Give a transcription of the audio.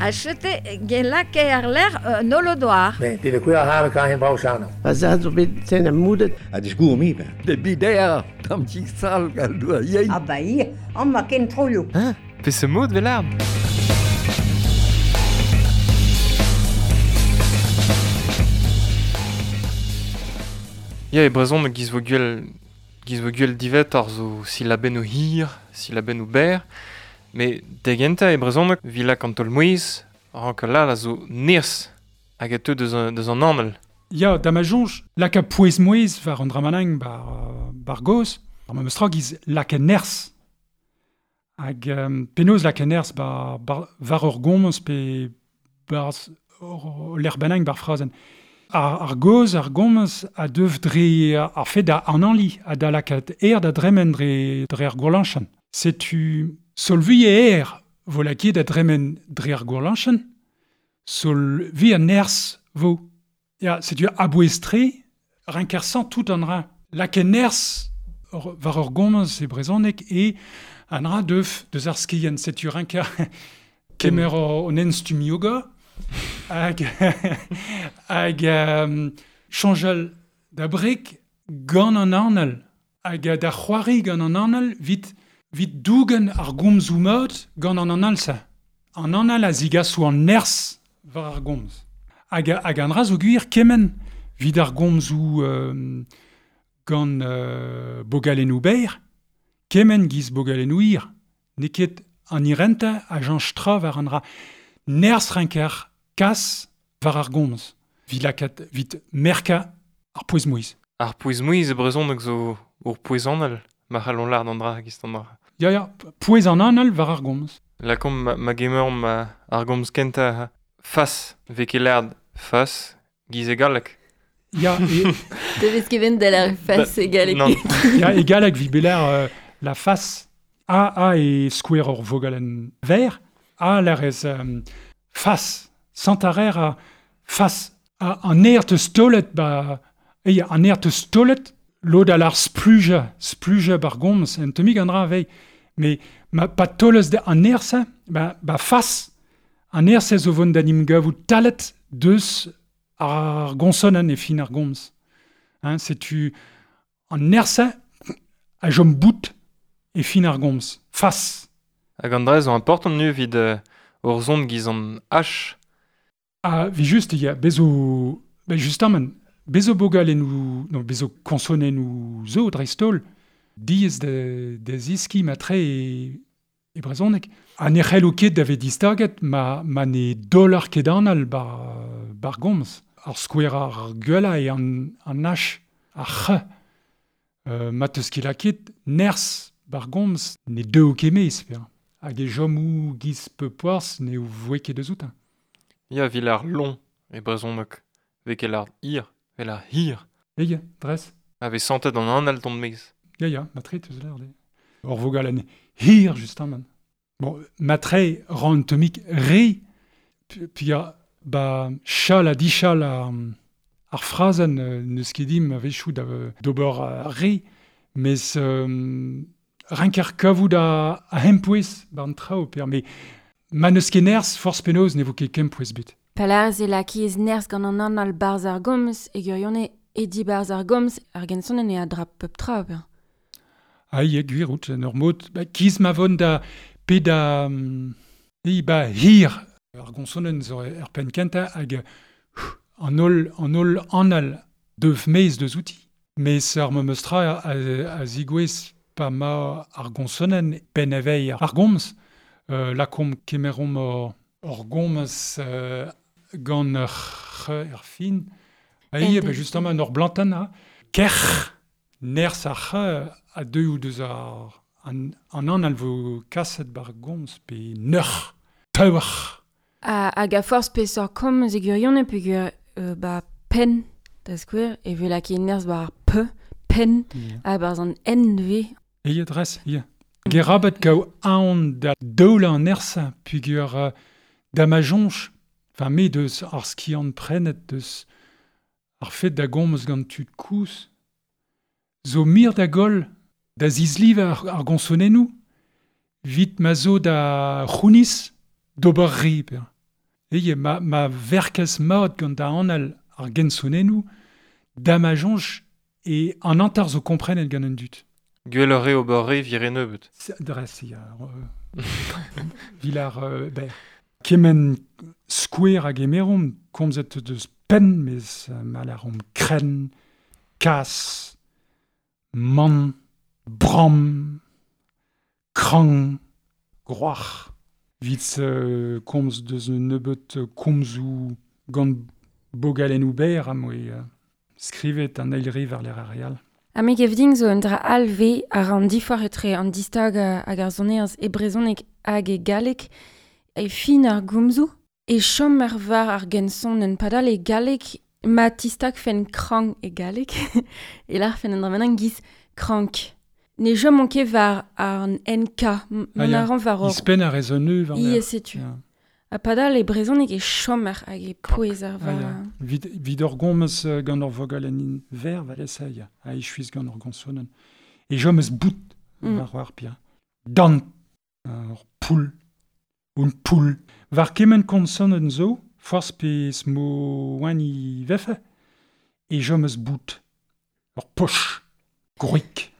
A chete gen lake ar ler nolodoar. Ne, de kuer har kan hen brau. Pa za zo bet sen am moudet. A disgour mi ben. De bider, tam ti sal gal doa yein. A ba ir, an ma ken troioù. Hein? Pe se mod velard? Ya e brezon giz vo gwell giz vo gwell divet ar zo silabennoù hir, silabennoù ber, me degenta e brezhoneg vila kantol mouiz, rank la la zo nerz hag e teu deus an, deus an anel. Ya, da ma jonj, laka pouez mouez war an dramanang bar goz, ar ma meustra giz laka nerz. Hag penaos laka nerz bar, bar, war ur gomz pe bar l'erbanang bar frazen. Ar goz, ar gomz a deuf dre ar fet da an anli, a da lakat er da dremen dre ar gourlanchan. Setu solvi er vo laket da dremen dre ar gourlanchan, solvi an nerz vo. Ya, setu abouestre, rinkersan tout an ra. Laket nerz war ur gomz e brezonek e an ra deuf deus ar skien. Setu rinker kemer on enstum yoga, hag hag chanjal da brek gant an anel hag da c'hoari gant an anel vit vit dougen ar gomzoù mod gant an anal sa. An anal a zigasou an nerz war ar gomz. Hag, hag an ra zo gwir kemen vit ar gomzoù gant bogalennoù ber, kemen giz bogalennoù ir. N'eo ket an irenta a janch tra war an ra. Nerz rinker kas war ar gomz. Vit lakat, vit merka ar pouez-mouiz. Ar pouez-mouiz e brezhoneg zo ur pouez-anal, ma c'hallon lard an dra giz an dra. Ya, ya, pouez an anal war ar gomz. Lakomp ma, ma gemer ma ar gomz kenta fas, vez ket lard fas, giz e galleg. Ya, e... Te vez keven da la face e galleg. Non. Ya, e galleg vi beler la face. A, A e skouer ur vogalen ver. A lar ez fas. Santarer a fas. A, an aer te stolet ba... E, an aer te stolet, lod a lar spluja, spluja bar gomz, en temig an dra vei. Me ma pa tolez de an aer sa, ba fas, an aer se zo vont d'anim gavout talet deus ar gonsonan e fin ar gomz. Hein, setu an aer sa a jom bout e fin ar gomz. Fas. Hag an dra zo important nu vid ur zon giz an H. Ah, vi just, ya, bezo... Ben justement, bezo bogalennoù... Non, bezo konsonennoù zo dreist-holl, diez de ziski matre e brezhoneg. Ha ne c'hello ket da ve distaget ma ne dollar ket anal bar gomz. Ar skouer ar gueula e an H, ar c'h. Ma teus ket laket, nerz bar gomz ne deuo ket mez, per. Hag e jomou giz pe poars ne voe ket deus outin. Ya, vil ar long e brezhoneg. Vez ket ar ir, vel ar hir. Ege, dres. A vez santet an anal tont mez. Ya, ya, matre teus l'air de. Ur vogalen hir, justement. Bon, matre ran temik re, pi ya, ba, chal a dichal ar frazen neus ket dim a-wechoù da d'ober re, mes rinker kavout a hempouez bar an traoù, per, me ma neus ket nerz, forz penaos ne vo ket kempouez bet. Palarz e lakiez nerz gant an anal barz ar gomz, e gwirione edi barz ar gomz, ar gensonen e a drap pep tra, per. Ah, ie, gwir out, en ur mod, ba, kiz ma von da pe da e ba hir ar gonsonen zo er pen kenta hag an holl anal deuf mez deus outi. Mes ar meustra a zigouez pa ma ar gonsonen pen avei ar gomz, lakomp kemeromp ur gomz gant ur c'h er fin. Ah, ie, ba justement, ur blantan ha kerc'h nerz ar c'h a deuoù deus ar an anal vo kaset bar gomz pe neuc'h, teuc'h. Hag a forz peseurt komz e gwirione peogwir ba penn, da skouer, e vel lakaet nerz war ar p, penn, yeah. Ha barzh an N V. Ie, dres, ie. Gerabet gaou aon da daol an nerz, peogwir da ma jonch, enfin me deus ar skiant prenet deus ar fet da gomz gant tud kouz, zo mir da goll, da zizliv ar gonsonennoù, vit ma zo da c'hounis d'ober re, per. Eye, ma verkez mat gant da anal ar gensonennoù, da ma jonj e an antar zo komprenet gant an dud. Gwell ur re ober re vire nebeut. Dres, ya. Vilar ber. Kement skouer hag emeromp komzet deus penn, mez malaromp kren, kas, man, bram, krang, groach. Vit komz deus un nebeut komzou gant bogalen ber am oe skrivet an eil re war l'er areal. Ha me gevding zo un dra alve ar an difor etre an distag hag ar sonerz e brezhoneg hag e galleg e fin ar gomzoù e chom ar war ar genson en padal e galleg ma tistag fen krang e galleg e lar fen an dra giz krank. Ne jom on ket war ar NK, mon aran war ur... Ispen ar rezonu war... Ie, setu. Yeah. Ha padal e brezhoneg e chomer hag e pouez ar war... Ah, Vid ur gomz gant ur vogalen ver, valez ya, a echuiz gant ur gonsonen. E jom eus bout war war pia. Dant, ur poul, un poul. War kement konsonen zo, forz pe mo oan i vefe, e jom eus bout. Ur poch, gwrik.